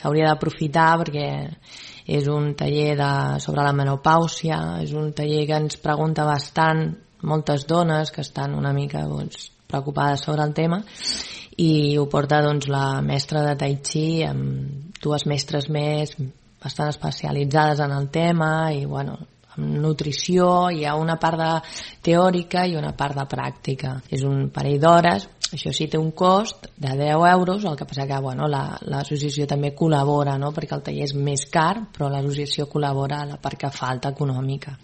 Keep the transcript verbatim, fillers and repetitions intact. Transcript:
s'hauria d'aprofitar perquè és un taller de, sobre la menopàusia, és un taller que ens pregunta bastant moltes dones que estan una mica doncs, preocupades sobre el tema, i ho porta doncs, la mestra de Tai Chi amb dues mestres més bastant especialitzades en el tema i bueno, amb nutrició, hi ha una part de teòrica i una part de pràctica. És un parell d'hores, això sí té un cost de deu euros, el que passa que bueno, l'associació també col·labora, no? Perquè el taller és més car, però l'associació col·labora a la part que falta econòmica.